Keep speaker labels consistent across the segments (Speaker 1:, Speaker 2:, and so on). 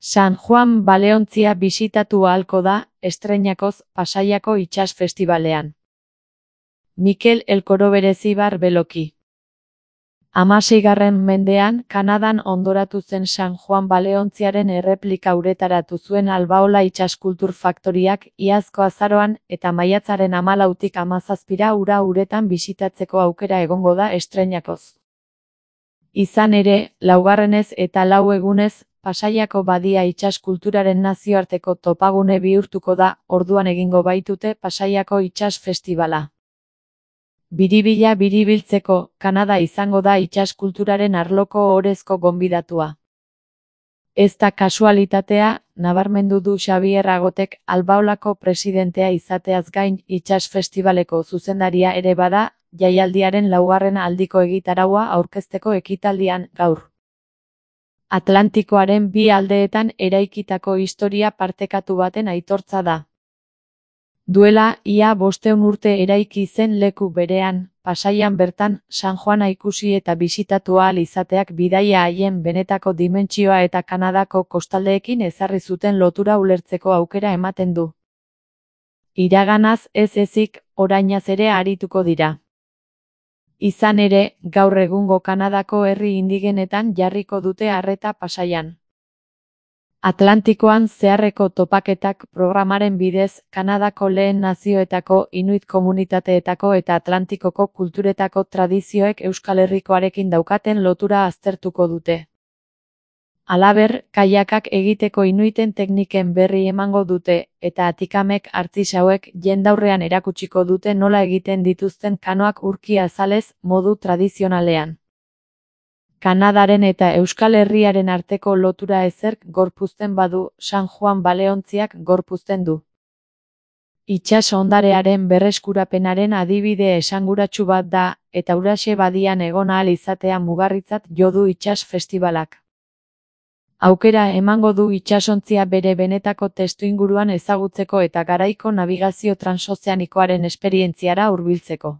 Speaker 1: San Juan baleontzia bisitatu ahalko da, estreinakoz, Pasaiako itsas festibalean. Mikel Elkoro Berezibar Beloki. 16. mendean, Kanadan hondoratu zen San Juan baleontziaren erreplika uretaratu zuen Albaola itsaskultur faktoriak iazko azaroan eta maiatzaren 14tik 17ra ura uretan bisitatzeko aukera egongo da estreinakoz. Izan ere, laugarrenez eta 4 egunez, Pasaiako badia itsaskulturaren nazioarteko topagune bihurtuko da, orduan egingo baitute Pasaiako itsas festibala. Biribila biribiltzeko, Kanada izango da itsaskulturaren arloko ohorezko gonbidatua. Ez da kasualitatea, nabarmendu du Xabier Agotek, Albaolako presidentea izateaz gain itsas festibaleko zuzendaria ere bada, jaialdiaren 4. aldiko egitaraua aurkezteko ekitaldian, gaur. Atlantikoaren bi aldeetan eraikitako historia partekatu baten aitortza da. Duela, ia 500 urte eraiki zen leku berean, Pasaian bertan, San Juana ikusi eta bisitatu ahal izateak bidaia haien benetako dimentsioa eta Kanadako kostaldeekin ezarri zuten lotura ulertzeko aukera ematen du. Iraganaz ez ezik, orainaz ere arituko dira. Izan ere, gaur egungo Kanadako herri indigenetan jarriko dute arreta Pasaian. Atlantikoan zeharreko topaketak programaren bidez, Kanadako lehen nazioetako, Inuit komunitateetako eta Atlantikoko kulturetako tradizioek Euskal Herrikoarekin daukaten lotura aztertuko dute. Halaber, kaiakak egiteko Inuiten tekniken berri emango dute, eta Atikamek artisauek jendaurrean erakutsiko dute nola egiten dituzten kanoak urki azalez, modu tradizionalean. Kanadaren eta Euskal Herriaren arteko lotura ezerk gorpuzten badu, San Juan baleontziak gorpuzten du. Itsas ondarearen berreskurapenaren adibide esanguratsu bat da, eta huraxe badian egon ahal izatea mugarritzat jo du itsas festibalak. Aukera emango du itsasontzia bere benetako testuinguruan ezagutzeko eta garaiko nabigazio transozeanikoaren esperientziara hurbiltzeko.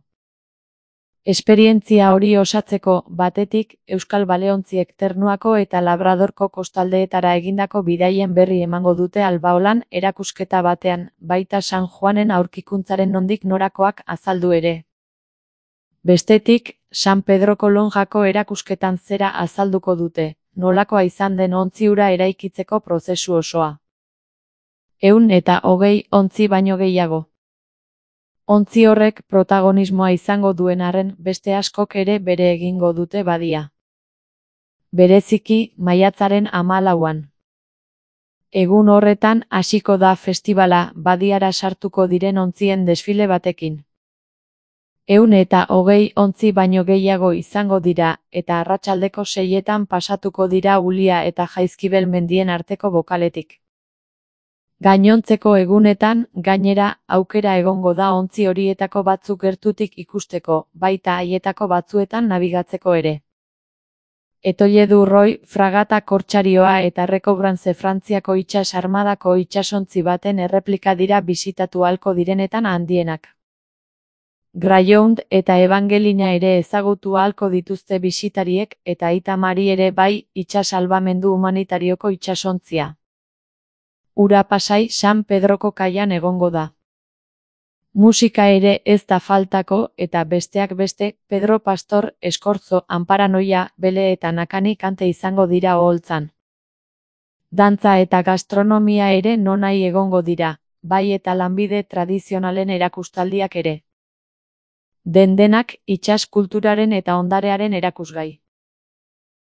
Speaker 1: Esperientzia hori osatzeko, batetik, Euskal Baleontziek Ternuako eta Labradorko kostaldeetara egindako bidaien berri emango dute Albaolan erakusketa batean, baita San Juanen aurkikuntzaren nondik norakoak azaldu ere. Bestetik, San Pedroko lonjako erakusketan zera azalduko dute, nolakoa izan den ontzi hura eraikitzeko prozesu osoa. 120 ontzi baino gehiago. Ontzi horrek protagonismoa izango duen arren, beste askok ere bere egingo dute badia. Bereziki, maiatzaren 14an. Egun horretan hasiko da festibala, badiara sartuko diren ontzien desfile batekin. 120 ontzi baino gehiago izango dira, eta arratsaldeko 6etan pasatuko dira Ulia eta Jaizkibel mendien arteko bokaletik. Gainontzeko egunetan, gainera, aukera egongo da ontzi horietako batzuk gertutik ikusteko, baita haietako batzuetan nabigatzeko ere. Etoile du Roy, fragata kortsarioa eta Recobrance Frantziako itsas armadako itsasontzi baten erreplika dira bisitatu ahalko direnetan handienak. Greyhound eta Evangelina ere ezagutu ahalko dituzte bisitariek eta Aita Mari ere bai, itsas salbamendu humanitarioko itsasontzia. Ura Pasai San Pedroko kaian egongo da. Musika ere ez da faltako eta besteak beste, Pedro Pastor, Eskorzo, Anparanoia, Bele eta Nakani kante izango dira oholtzan. Dantza eta gastronomia ere nonahi egongo dira, bai eta lanbide tradizionalen erakustaldiak ere. Denak itsas kulturaren eta ondarearen erakusgai.